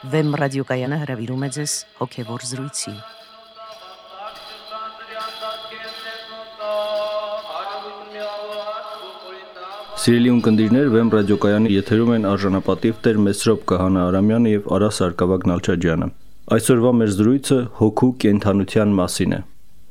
Վեմ ռադիոկայանը հրավիրում է ձեզ հոգևոր զրույցի։ Սիրելի ունկնդիրներ, Վեմ ռադիոկայանի եթերում են արժանապատիվ Տեր Մեսրոպ Քահանա Արամյանը եւ Արա Սարգսակ Նալչաջյանը։ Այսօրվա մեր զրույցը հոգու կենդանության մասին է։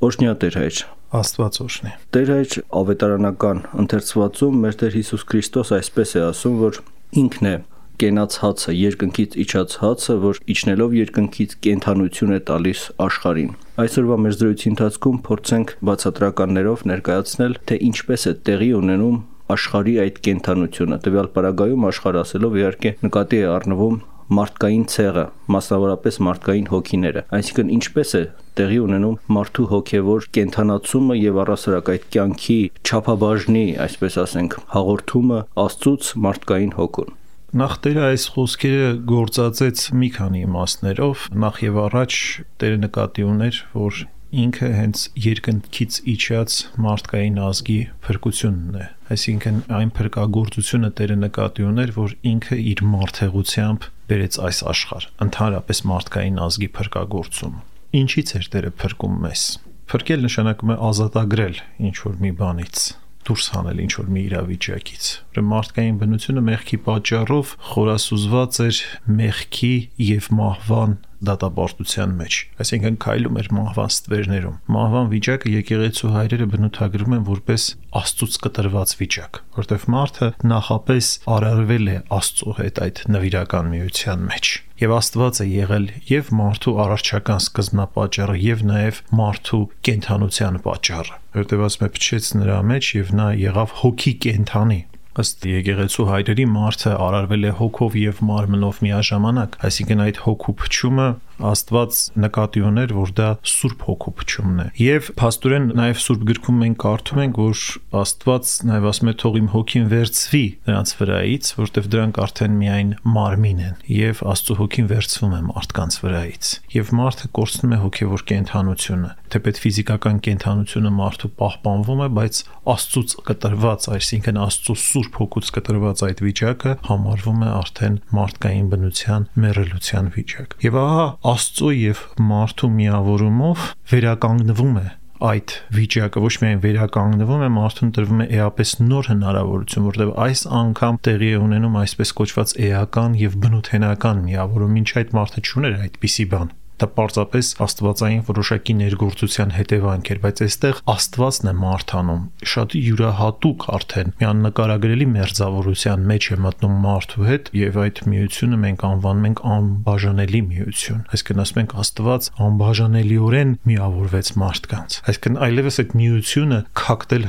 Օրհնյա Տեր Հայր։ Աստված օրհնի։ Տեր Հայր, ավետարանական ընթերցվածում մեր Տեր Հիսուս Քրիստոս այսպես է ասում, որ ինքն է կենաց հացը, երկնքից իջած հացը, որ իջնելով երկնքից կենդանություն է տալիս աշխարհին։ Այսօրվա մեր զրույցի ընթացքում փորձենք բացատրականներով ներկայացնել, թե ինչպես է տեղի ունենում աշխարհի այդ կենդանությունը։ Տվյալ պարագայում աշխարհ ասելով իհարկե նկատի է առնվում մարդկային ցեղը, մասնավորապես մարդկային հոգիները, այսինքն ինչպես է տեղի ունենում մարդու հոգևոր կենդանացումը եւ առասարակ այդ կյանքի չափաբաժնի, այսպես ասենք, հաղորդումը Աստծուց մարդկային հոգուն։ Նախ Տերը այս խոսքերը գործածեց մի քանի իմաստներով, նախ եւ առաջ Տերը նկատի ուներ, որ ինքը հենց երկնքից իջած մարդկային ազգի փրկությունն է, այսինքն այն փրկagorցությունը Տերը նկատի ուներ, որ ինքը իր մարդեղությամբ բերեց այս աշխարհ, ընդհանրապես մարդկային ազգի փրկagorցում։ Ինչից էր Տերը փրկում մեզ։ Փրկել նշանակում է ազատագրել ինչ որ մի բանից, դուրս հանել ինչ որ մի իրավիճակից։ Մարդկային բնությունը մեղքի պատճառով խորասուզված էր մեղքի եւ մահվան դատապարտության մեջ, այսինքն քայլում էր մահվան ստվերներում։ Մահվան վիճակը եկեղեցու հայրերը բնութագրում են որպես Աստծուց կտրված վիճակ, որտեղ մարդը նախապես արարվել է Աստծո հետ այդ նվիրական միության մեջ։ Եվ Աստված է եղել եւ մարդու արարչական սկզբնապատճառը եւ նաեւ մարդու կենդանության պատճառը, որտեղ ասում է փչեց նրա մեջ եւ նա եղավ հոգի կենդանի։ Ըստ եկեղեցու հայրերի մարդը արարվել է հոգով եւ մարմնով միաժամանակ, այսինքն այդ հոգու փչումը Աստված նկատի ուներ, որ դա Սուրբ Հոգու փչումն է։ Եվ փաստորեն նաև Սուրբ գրքում մենք կարդում ենք, որ Աստված նաև ասում է թող իմ հոգին վերցվի նրանց վրայից, որտեղ դրանք արդեն միայն մարմին են, եւ Աստծո հոգին վերցվում է մարդկանց վրայից։ Եվ մարդը կորցնում է հոգևոր կենդանությունը, թեպետ ֆիզիկական կենդանությունը մարդու պահպանվում է, բայց Աստծուց կտրված, այսինքն Աստծո Սուրբ Հոգուց կտրված այդ վիճակը համարվում է արդեն մարդկային բնության մեռելության վիճակ։ Եվ ահա Աստծո եւ մարդու միավորումով վերականգնվում է այդ վիճակը, ոչ միայն վերականգնվում է, մարդուն տրվում է էապես նոր հնարավորություն, որտեղ այս անգամ տեղի է ունենում այսպես կոչված էական եւ բնութենական միավորում, ինչ այդ մարդը չուներ այդպիսի բան։ Դա պարզապես աստվածային որոշակի ներգործության հետևանք էր, բայց այստեղ Աստվածն է մարդանում, շատ յուրահատուկ արդեն մի աննկարագրելի մերձավորության մեջ է մտնում մարդու հետ, եւ այդ միությունը մենք անվանում ենք անբաժանելի միություն։ Այսինքն ասում ենք Աստված անբաժանելիորեն միավորվեց մարդկանց։ Այսինքն այլևս այդ միությունը քակտել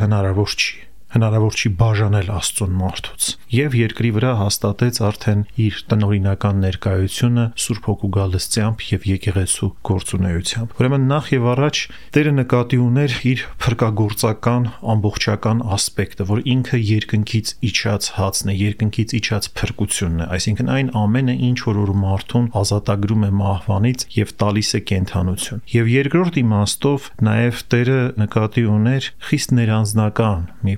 հնարավոր չի բաժանել Աստծուն մարդուց։ Եվ երկրի վրա հաստատեց արդեն իր տնօրինական ներկայությունը Սուրբ Հոգու գալստությամբ եւ եկեղեցու գործունեությամբ։ Ուրեմն նախ եւ առաջ Տերը նկատի ուներ իր փրկagorցական ամբողջական ասպեկտը, որ ինքը երկնքից իջած հացն է, երկնքից իջած փրկությունն է, այսինքն այն ամենը, ինչ որ մարդուն ազատագրում է մահվանից եւ տալիս է կենդանություն։ Եվ երկրորդ իմաստով նաեւ Տերը նկատի ուներ խիստ ներանձնական մի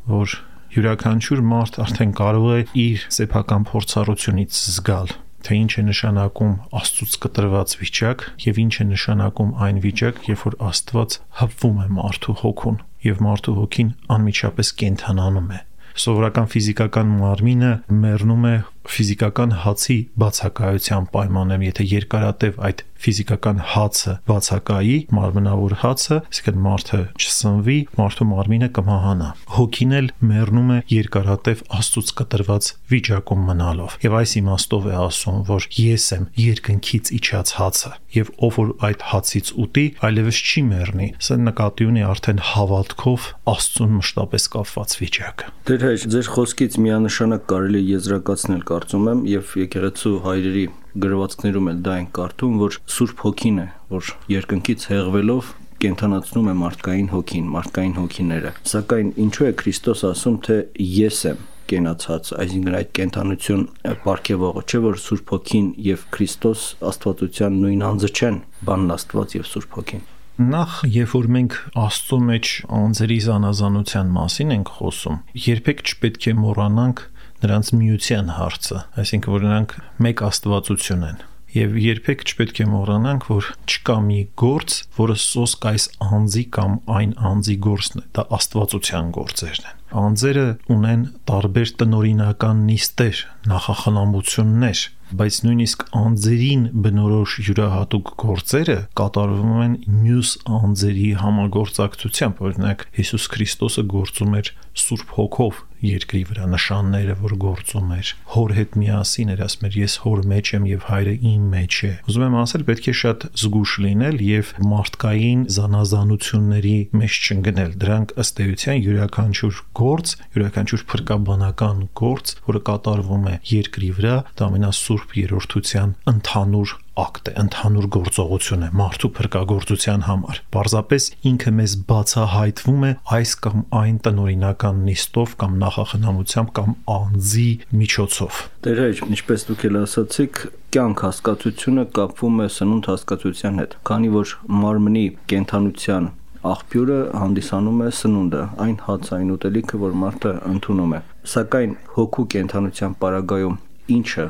որ յուրաքանչյուր մարդ արդեն կարող է իր սեփական փորձառությունից զգալ, թե ինչ է նշանակում Աստծուց կտրված վիճակ եւ ինչ է նշանակում այն վիճակ, երբ որ Աստված հպվում է մարդու հոգուն եւ մարդու հոգին անմիջապես կենդանանում է։ Սովորական ֆիզիկական մարմինը մեռնում է ֆիզիկական հացի բացակայության պայմաններում, եթե երկարատև այդ ֆիզիկական հացը բացակայի, մարմնավոր հացը, այսինքն մարդը չսնվի, մարդու մարմինը կմահանա։ Հոգին էլ մեռնում է երկարատև Աստծուց կտրված վիճակում մնալով։ Եվ այս իմաստով է ասում, որ ես եմ երկնքից իջած հացը, եւ ով որ այդ հացից ուտի, այլևս չի մեռնի։ Սա նկատի ունի արդեն հավատքով Աստծուն մշտապես կապված վիճակը։ Տեր Հայր, ձեր խոսքից միանշանակ կարելի է եզրակացնել, կարծում եմ, եւ եկեղեցու հայրերի գրվածքներում էլ դա են կարդում, որ Սուրբ Հոգին է, որ երկնքից հեղվելով կենդանացնում է մարդկային հոգին, մարդկային հոգիները։ Սակայն ինչու է Քրիստոս ասում, թե ես եմ կենացած, այսինքն այդ կենդանություն պարգևողը, չէ՞ որ Սուրբ Հոգին եւ Քրիստոս Աստվածության նույն անձը չեն, բանն Աստված եւ Սուրբ Հոգին։ Նախ, երբ որ մենք Աստծո մեջ անձերի զանազանության մասին ենք խոսում, երբեք չպետք է մոռանանք նրանց միության հարցը, այսինքն որ նրանք մեկ աստվածություն են։ Եվ երբեք չպետք է մոռանանք, որ չկա մի գործ, որը սոսկ այս անձի կամ այն անձի գործն է, դա աստվածության գործերն են։ Անձերը ունեն տարբեր տնօրինական նիստեր, նախախնամություններ, բայց նույնիսկ անձերին բնորոշ յուրահատուկ գործերը կատարվում են մյուս անձերի համագործակցությամբ, օրինակ Հիսուս Քրիստոսը գործում էր Սուրբ Հոգով երկրի վրա, նշանները, որ գործում էր, Հոր հետ միասին էր, ասում էր ես Հոր մեջ եմ եւ Հայրը իմ մեջ է։ Ուզում եմ ասել, պետք է շատ զգուշ լինել եւ մարդկային զանազանությունների մեջ չընկնել։ Դրանք ըստ էության յուրաքանչյուր գործ, յուրաքանչյուր փրկաբանական գործ, որը կատարվում է երկրի վրա, դա ամենասուրբ երրորդության ընդհանուր ակտ է, ընդհանուր գործողություն է մարդու փրկagorցության համար։ Պարզապես ինքը մեզ բացահայտվում է այս կամ այն տնօրինական նիստով կամ նախախնամությամբ կամ անձի միջոցով։ Տեր, ինչպես դուք էլ ասացիք, կյանք հասկացությունը կապվում է սնունդ հասկացության հետ, քանի որ մարմնի կենդանության աղբյուրը հանդիսանում է սնունդը, այն հացային ուտելիքը, որ մարդը ընդունում է։ Սակայն հոգու կենդանության պարագայում ինչը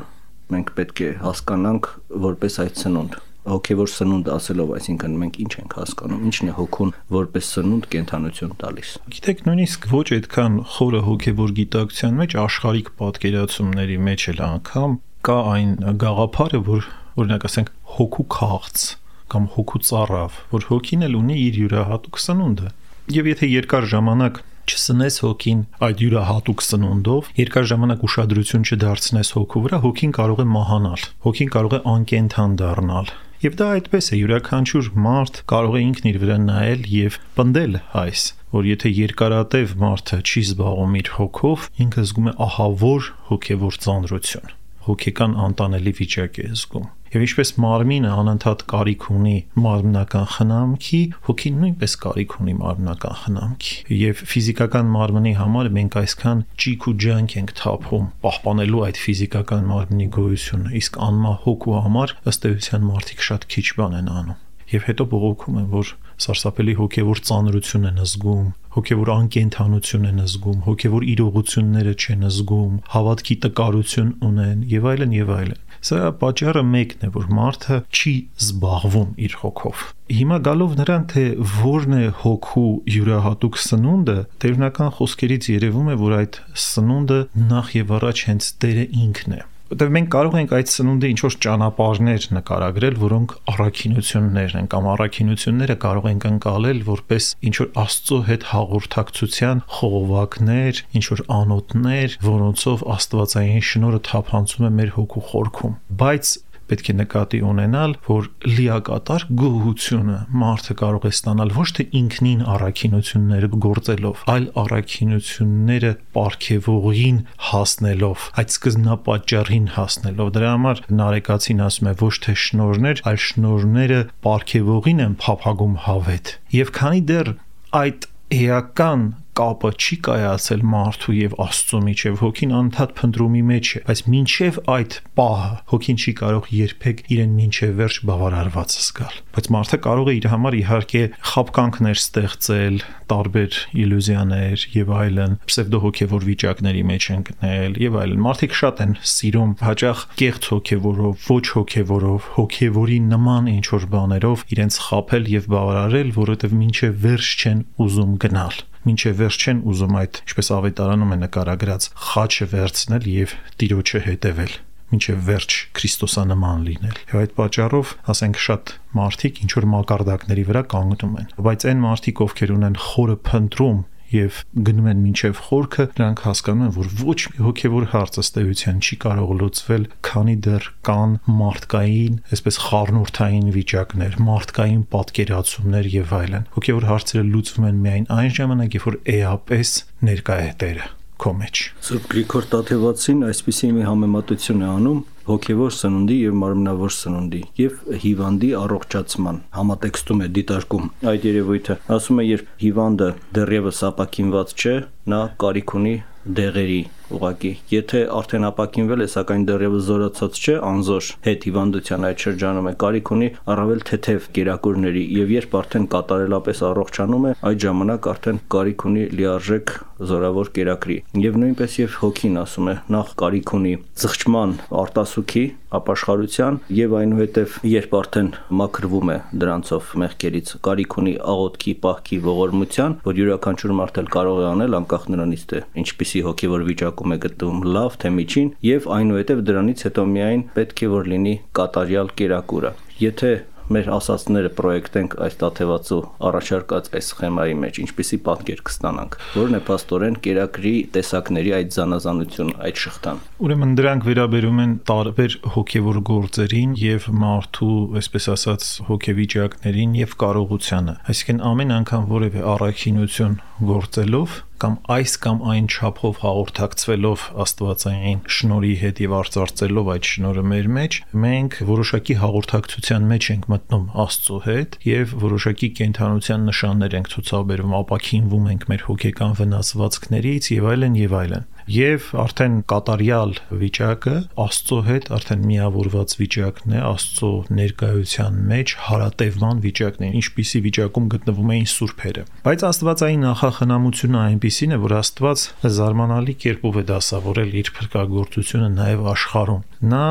մենք պետք է հասկանանք որպես այդ սնունդ։ Հոգևոր սնունդ ասելով, այսինքն մենք ինչ ենք հասկանում, ինչն է հոգուն որպես սնունդ կենդանություն տալիս։ Գիտեք, նույնիսկ ոչ այդքան խորը հոգևոր գիտակցության մեջ աշխարհիկ պատկերացումների մեջ էլ անգամ կա այն գաղափարը, որ օրինակ ասենք հոգու քաղց կամ հոգու ծառավ, որ հոգին էլ ունի իր յուրահատուկ սնունդը։ Եվ եթե երկար ժամանակ չսնես հոգին այդ յուրահատուկ սնունդով, երկար ժամանակ ուշադրություն չդարձնես հոգու վրա, հոգին կարող է մահանալ, հոգին կարող է անկենդան դառնալ։ Եվ դա այդպես է, յուրաքանչյուր մարդ կարող է ինքն իր վրա նայել եւ պնդել այս, որ եթե երկարատև մարդը չի զբաղվում իր հոգով, ինքը զգում է ահավոր հոգևոր ծանրություն, հոգեկան անտանելի վիճակ է զգում։ Եվ ինչպես մարմինը անընդհատ կարիք ունի մարմնական խնամքի, հոգին նույնպես կարիք ունի մարմնական խնամքի։ Եվ ֆիզիկական մարմնի համար մենք այսքան ճիք ու ջանք ենք թափում պահպանելու այդ ֆիզիկական մարմնի գոյությունը, իսկ անմահ հոգու համար ըստ էության մարդիկ շատ քիչ բան են անում։ Եվ հետո բողոքում են, որ սարսափելի հոգևոր ծանրություն են զգում, հոգևոր անկենդանություն են զգում, հոգևոր իրողությունները չեն զգում, հավատքի տկարություն ունեն եւ այլն եւ այլն։ Սա պատճառը մեկն է, որ մարդը չի զբաղվում իր հոգով։ Հիմա գալով նրան, թե որն է հոգու յուրահատուկ սնունդը, տերունական խոսքերից երևում է, որ այդ սնունդը նախ եւ առաջ հենց Տերը ինքն է։ Որտեւ մենք կարող ենք այդ սնունդը ինչ-որ ճանապարհներ նկարագրել, որոնք առաքինություններն են, կամ առաքինությունները կարող ենք ընկալել որպես ինչ-որ Աստծո հետ հաղորդակցության խողովակներ, ինչ-որ անոթներ, որոնցով Աստվածային շնորհը թափանցում է մեր հոգու խորքում։ Բայց պետք է նկատի ունենալ, որ լիակատար գոհությունը մարդը կարող է ստանալ ոչ թե ինքնին առաքինությունները գործելով, այլ առաքինությունները պարգևողին հասնելով, այդ սկզբնապատճառին հասնելով։ Դրա համար Նարեկացին ասում է ոչ թե շնորհներ, այլ շնորհները պարգևողին են փափագում հավետ։ Եվ քանի դեռ այդ էական կապը չի կայացել մարդու եւ Աստծո միջև, հոգին անընդհատ փնտրումի մեջ է, բայց մինչև այդ պահը հոգին չի կարող երբեք իրեն մինչև վերջ բավարարված զգալ։ Բայց մարդը կարող է իր համար իհարկե խաբկանքներ ստեղծել, տարբեր իլյուզիաներ եւ այլն, պսևդոհոգևոր վիճակների մեջ ընկնել եւ այլն։ Մարդիկ շատ են սիրում հաճախ կեղծ հոգևորով, ոչ հոգևորով, հոգևորի նման ինչ որ բաներով իրենց խաբել եւ բավարարել, որովհետեւ մինչև վերջ չեն ուզում գնալ։ Մինչև վերջ չեն ուզում այդ, ինչպես ավետարանում է նկարագրած, խաչը վերցնել եւ Տիրոջը հետևել, մինչև վերջ քրիստոսանման լինել։ Եվ այդ պատճառով, ասենք, շատ մարդիկ ինչ որ մակարդակների վրա կանգնում են, բայց այն մարդիկ, ովքեր ունեն խորը փնտրում եւ գնում են մինչև խորքը, նրանք հասկանում են, որ ոչ մի հոգևոր հարց ըստ էության չի կարող լուծվել, քանի դեռ կան մարդկային, այսպես խառնուրդային վիճակներ, մարդկային պատկերացումներ եւ այլն։ Հոգևոր հարցերը լուծվում են միայն այն ժամանակ, երբ որ էապես ներկա է Տերը քո մեջ։ Սուրբ Գրիգոր Տաթևացին այսպիսի մի համեմատություն է անում հոգևոր սնունդի եւ մարմնավոր սնունդի եւ հիվանդի առողջացման համատեքստում է դիտարկում այդ երևույթը։ Ասում է, երբ հիվանդը դեռևս ապակինված չէ, նա կարիք ունի դեղերի ուղակի։ Եթե արդեն ապակինվել է, սակայն դեռևս զորացած չէ, անզոր հետ հիվանդության այդ շրջանում է, կարիք ունի առավել թեթև կերակուրների, եւ երբ արդեն կատարելապես առողջանում է, այդ ժամանակ արդեն կարիք ունի լիարժեք զորավոր կերակրի։ Եվ նույնպես եւ հոգին ասում է, նախ կարիք ունի զղջման, արտասուք սպասուքի, ապաշխարության եւ այնուհետեւ երբ արդեն մաքրվում է դրանցով մեղքերից, կարիք ունի աղոթքի, պահքի, ողորմության, որ յուրաքանչյուր մարդ էլ կարող է անել անկախ նրանից թե ինչպիսի հոգեվոր վիճակում է գտնվում, լավ թե միջին, եւ այնուհետեւ դրանից հետո միայն պետք է որ լինի կատարյալ կերակուրը։ Եթե մեր ասածները պրոյեկտենք այս տաթևածու առաջարկած այս սխեմայի մեջ, ինչպիսի պատկեր կստանանք, որն է փաստորեն կերակրի տեսակների այդ զանազանությունը, այդ շղթան։ Ուրեմն դրանք վերաբերում են տարբեր հոգևոր գործերին եւ մարդու, այսպես ասած, հոգեվիճակներին եւ կարողությանը։ Այսինքն ամեն անգամ որևէ առաքինություն գործելով կամ այս կամ այն չափով հաղորդակցվելով Աստվածային շնորհի հետ եւ արծարծելով այդ շնորհը մեր մեջ, մենք որոշակի հաղորդակցության մեջ ենք մտնում Աստծո հետ եւ որոշակի կենթանության նշաններ ենք ցուցաբերում, ապաքինվում ենք մեր հոգեկան վնասվածքներից եւ այլն եւ այլն։ Եվ արդեն կատարյալ վիճակը Աստծո հետ արդեն միավորված վիճակն է, Աստծո ներկայության մեջ հարատևման վիճակն է, ինչպիսի վիճակում գտնվում էին սուրբերը։ Բայց Աստվածային նախախնամությունը այնպիսին է, որ Աստված զարմանալի կերպով է դասավորել իր փրկagorցությունը նաև աշխարհում։ Նա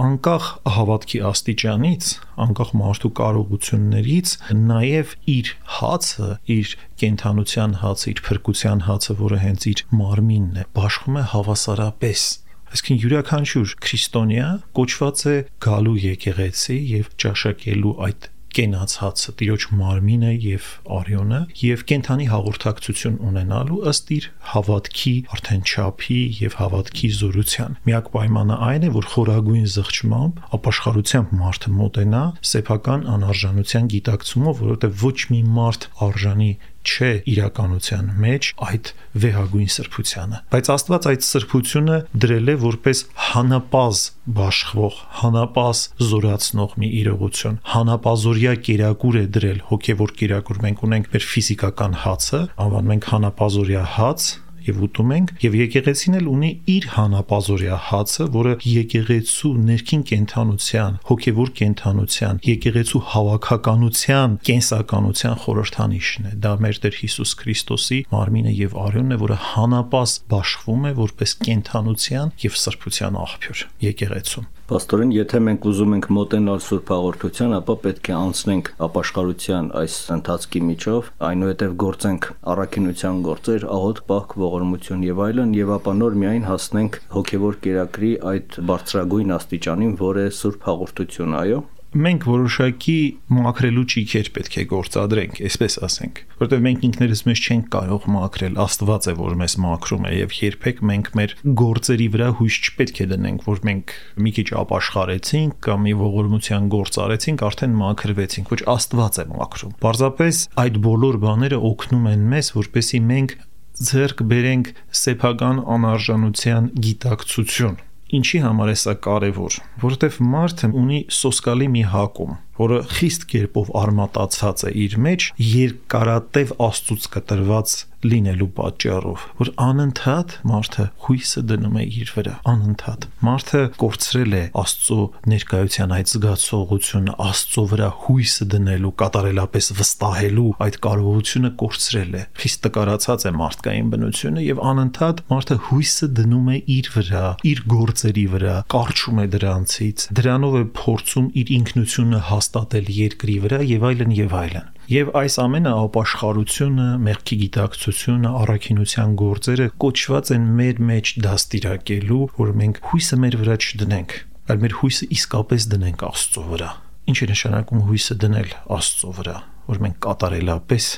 անկախ հավատքի աստիճանից, անկախ մարդու կարողություններից, նաև իր հացը, իր կենթանության հացը, իր փրկության հացը, որը հենց իր մարմինն է, բաշխում է հավասարապես։ Այսինքն յուրաքանչյուր քրիստոնյա կոչված է գալու եկեղեցի եւ ճաշակելու այդ կենաց հացը, Տիրոջ մարմինը եւ արյունը եւ կենթանի հաղորդակցություն ունենալու ըստ իր հավատքի արդեն չափի եւ հավատքի զորության։ Միակ պայմանը այն է, որ խորագույն զղջմամբ, ապաշխարությամբ մարդը մոտենա սեփական անարժանության գիտակցումով, որովհետեւ ոչ մի մարդ արժանի չէ իրականության մեջ այդ վեհագույն սրբությանը, բայց Աստված այդ սրբությունը դրել է որպես հանապազ բաշխվող, հանապազ զորացնող մի իրողություն, հանապազորյա կերակուր է դրել, հոգևոր կերակուր։ Մենք ունենք մեր ֆիզիկական հացը, անվանում ենք հանապազորյա հաց, եւ ուտում ենք, եւ եկեղեցին էլ ունի իր հանապազորյա հացը, որը եկեղեցու ներքին կենթանության, հոգևոր կենթանության, եկեղեցու հավաքականության, կենսականության խորհրդանիշն է։ Դա մեր Տեր Հիսուս Քրիստոսի մարմինը եւ արյունն է, որը հանապազ բաշխվում է որպես կենթանության եւ սրբության աղբյուր եկեղեցում։ Պաստորեն, եթե մենք ուզում ենք մոտենալ Սուրբ Հաղորդության, ապա պետք է անցնենք ապաշխարության այս ընթացքի միջով, այնուհետև գործենք առաքինության գործեր, աղոթք, պահք, ողորմություն եւ այլն, եւ ապա նոր միայն հասնենք հոգեվոր կերակրի այդ բարձրագույն աստիճանին, որը է Սուրբ Հաղորդություն, այո։ Մենք որոշակի մաքրելու ճիգեր պետք է գործադրենք, այսպես ասենք, որովհետև մենք ինքներս մեզ չենք կարող մաքրել, Աստված է, որ մեզ մաքրում է, եւ երբեք մենք մեր գործերի վրա հույս չպետք է դնենք, որ մենք մի քիչ ապաշխարեցինք կամ մի ողորմության գործ արեցինք, արդեն մաքրվեցինք, ոչ Աստված է մաքրում։ Պարզապես այդ բոլոր բաները օգնում են մեզ, որպեսզի մենք ձեռք բերենք սեփական անարժանության գիտակցություն։ Ինչի համար է սա կարևոր, որովհետև մարդը ունի սոսկալի մի հակում, որը խիստ կերպով արմատացած է իր մեջ երկարատև Աստծուց կտրված լինելու պատճառով, որ անընդհատ մարդը հույսը դնում է իր վրա, անընդհատ մարդը կորցրել է Աստծո ներկայության այդ զգացողությունը, Աստծո վրա հույսը դնելու, կատարելապես վստահելու այդ կարողությունը կորցրել է, խիստ տկարացած է մարդկային բնությունը եւ անընդհատ մարդը հույսը դնում է իր վրա, իր գործերի վրա, կարճում է դրանցից, դրանով է փորձում իր ինքնությունը հաստատել երկրի վրա եւ այլն եւ այլն։ Եվ այս ամենը ապաշխարությունը, մեղքի գիտակցությունը, առաքինության գործերը կոչված են մեր մեջ դաստիարակելու, որ մենք հույսը մեր վրա չդնենք, այլ մեր հույսը իսկապես դնենք Աստծո վրա։ Ինչ է նշանակում հույսը դնել Աստծո վրա, որ մենք կատարելապես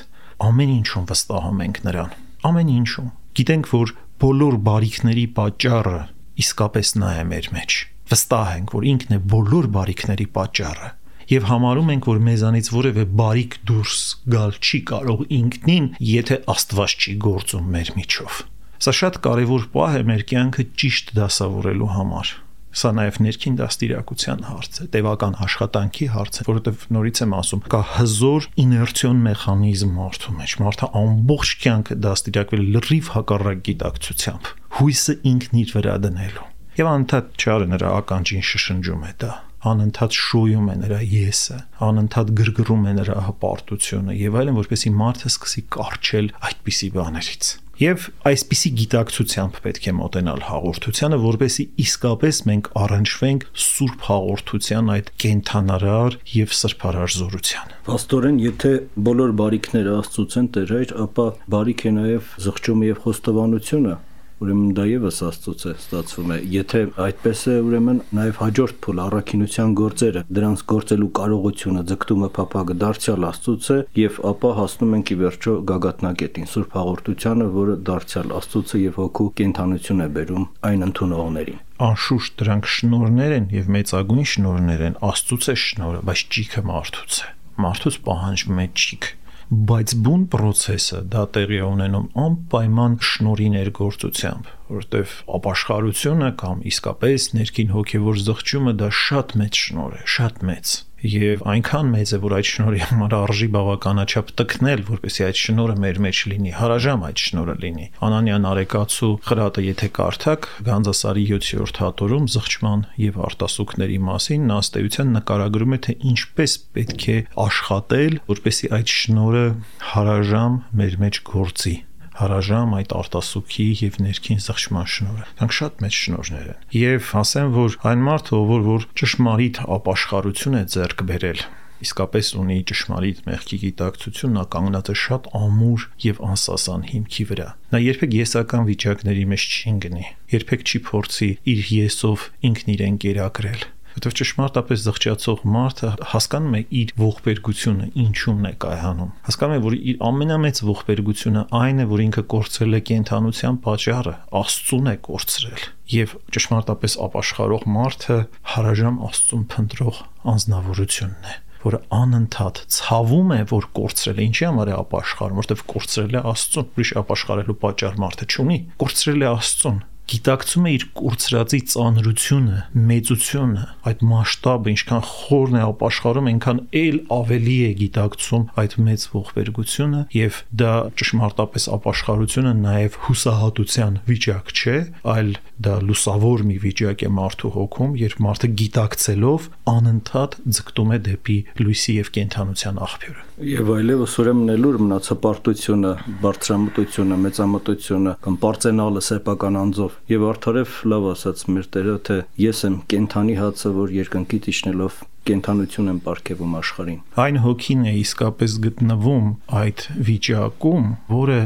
ամեն ինչում վստահում ենք նրան, ամեն ինչում։ Գիտենք, որ բոլոր բարիքների պատճառը իսկապես նա է մեր մեջ։ Վստահ ենք, որ ինքն է բոլոր բարիքների պատճառը։ Եվ համարում ենք, որ մեզանից որևէ բարիք դուրս գալ չի կարող ինքնին, եթե Աստված չի գործում մեր միջով։ Սա շատ կարևոր պահ է մեր կյանքը ճիշտ դասավորելու համար։ Սա նաև ներքին դաստիարակության հարց է, տևական աշխատանքի հարց է, որովհետև նորից եմ ասում, կա հզոր իներցիոն մեխանիզմ մարդու մեջ։ Մարդը ամբողջ կյանքը դաստիարակվել լրիվ հակառակ գիտակցությամբ, հույսը ինքն իր վրա դնելու։ Եվ անընդհատ չարը նրա ականջին շշնջում է դա։ անընդհատ շոյում է նրա եսը, անընդհատ գրգռում է նրա հպարտությունը եւ այլն, որպեսզի մարդը սկսի կարճել այդպիսի բաներից։ Եվ այսպիսի գիտակցությամբ պետք է մոտենալ հաղորդությանը, որպեսզի իսկապես մենք առնչվենք Սուրբ հաղորդության այդ կենթանարար եւ սրբարար զորությանը։ Պաստորեն, եթե բոլոր բարիքները Աստծուց են, Տեր Հայր, ապա բարիք է նաեւ զղջումը եւ խոստովանությունը, ուրեմն դա եւս Աստծուց է ստացվում է։ Եթե այդպես է, ուրեմն նաեւ հաջորդ փուլ առաքինության գործերը, դրանց գործելու կարողությունը, ձգտումը, փափագը դարձյալ Աստծուց է, եւ ապա հասնում ենք ի վերջո գագաթնակետին, Սուրբ հաղորդությանը, որը դարձյալ Աստծուց է եւ հոգու կենթանություն է բերում այն ընդունողներին։ Անշուշտ դրանք շնորհներ են եւ մեծագույն շնորհներ են, Աստծուց է շնորհը, բայց ճիքը մարդուց է։ Մարդուց պահանջվում է ճիք, բայց բուն process-ը դա տեղի է ունենում անպայման շնորհի ներգործությամբ, որտեվ ապաշխարությունը կամ իսկապես ներքին հոգևոր զղջումը դա շատ մեծ շնորհ է, շատ մեծ։ Եվ այնքան մեծ է, որ այդ շնորհի համար արժի բավականաչափ տքնել, որպեսզի այդ շնորհը մեր մեջ լինի, հարաժամ այդ շնորհը լինի։ Անանյան Արեկացու խրատը եթե կարդաք, Գանձասարի 7-րդ հատորում զղջման եւ արտասուքների մասին նա ըստ էության նկարագրում է, թե ինչպես պետք է աշխատել, որպեսզի այդ շնորհը հարաժամ մեր մեջ գործի, հարաժամ այդ արտասուքի եւ ներքին զղջման շնորհը։ Դրանք շատ մեծ շնորհներ են։ Եվ ասեմ, որ այն մարդը, որ ճշմարիտ ապաշխարություն է ձեռք բերել, իսկապես ունի ճշմարիտ մեղքի գիտակցություն, նա կանգնած է շատ ամուր եւ անսասան հիմքի վրա։ Նա երբեք եսական վիճակների մեջ չի ընկնի, երբեք չի փորձի իր եսով ինքն իրեն կերակրել։ Որտեւ ճշմարտապես զղջացող մարդը հասկանում է իր ողբերգությունը ինչումն է կայանում։ Հասկանում է, որ իր ամենամեծ ողբերգությունը այն է, որ ինքը կորցրել է կենթանության պատճառը, Աստծուն է կորցրել։ Եվ ճշմարտապես ապաշխարող մարդը հարաժամ Աստծուն փնտրող անձնավորությունն է, որը անընդհատ ցավում է, որ կորցրել է։ Ինչի համար է ապաշխարում, որտեվ կորցրել է Աստծուն, ուրիշ ապաշխարելու պատճառ մարդը չունի, կորցրել է Աստծուն։ Գիտակցում է իր կորցրածի ծանրությունը, մեծությունը, այդ մասշտաբը, ինչքան խորն է ապաշխարում, այնքան էլ ավելի է գիտակցում այդ մեծ ողբերգությունը, եւ դա ճշմարտապես ապաշխարությունը նաեւ հուսահատության վիճակ չէ, այլ դա լուսավոր մի վիճակ է մարդու հոգում, երբ մարդը գիտակցելով անընդհատ ձգտում է դեպի լույսի եւ կենթանության աղբյուրը։ Եվ այլևս ուրեմն ելուր մնաց հպարտությունը, բարձրամտությունը, մեծամտությունը կամ պարծենալը սեփական անձով եւ արդարև լավ ասաց մեր Տերը, թե ես եմ կենթանի հացը, որ երկնքից իջնելով կենթանություն եմ ապարգևում աշխարհին։ Այն հոգին է իսկապես գտնվում այդ վիճակում, որը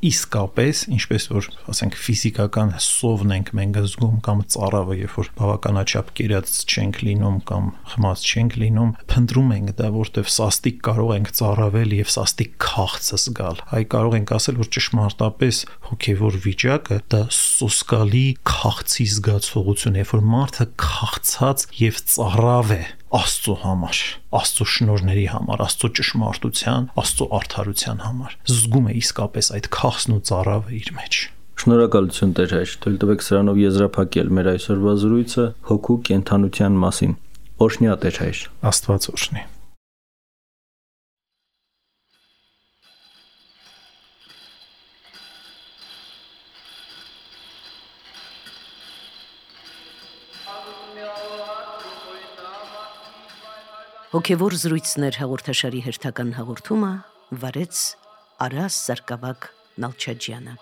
իսկապես, ինչպես որ ասենք ֆիզիկական սովն ենք մենք զգում կամ ծարավը, երբ որ բավականաչափ կերած չենք լինում կամ խմած չենք լինում, փնտրում ենք դա, որտեվ սաստիկ կարող ենք ծարավել եւ սաստիկ քաղցը զգալ։ Այ կարող ենք ասել, որ ճշմարտապես հոգեվոր վիճակը դա սոսկալի քաղցի զգացողություն է, երբ որ մարդը քաղցած եւ ծարավ է Աստծո համար, Աստծո շնորհների համար, Աստծո ճշմարտության, Աստծո արդարության համար։ Զգում է իսկապես այդ քաղցն ու ծարավը իր մեջ։ Շնորհակալություն Տեր Հայր, թույլ տվեք սրանով եզրափակել մեր այսօրվա զրույցը հոգու կենթանության մասին։ Օրհնյա Տեր Հայր։ Աստված օրհնի։ Հոգևոր զրույցներ հաղորդաշարի հերթական հաղորդումը վարեց Արաս Սարգսակ Նալչաջյանը։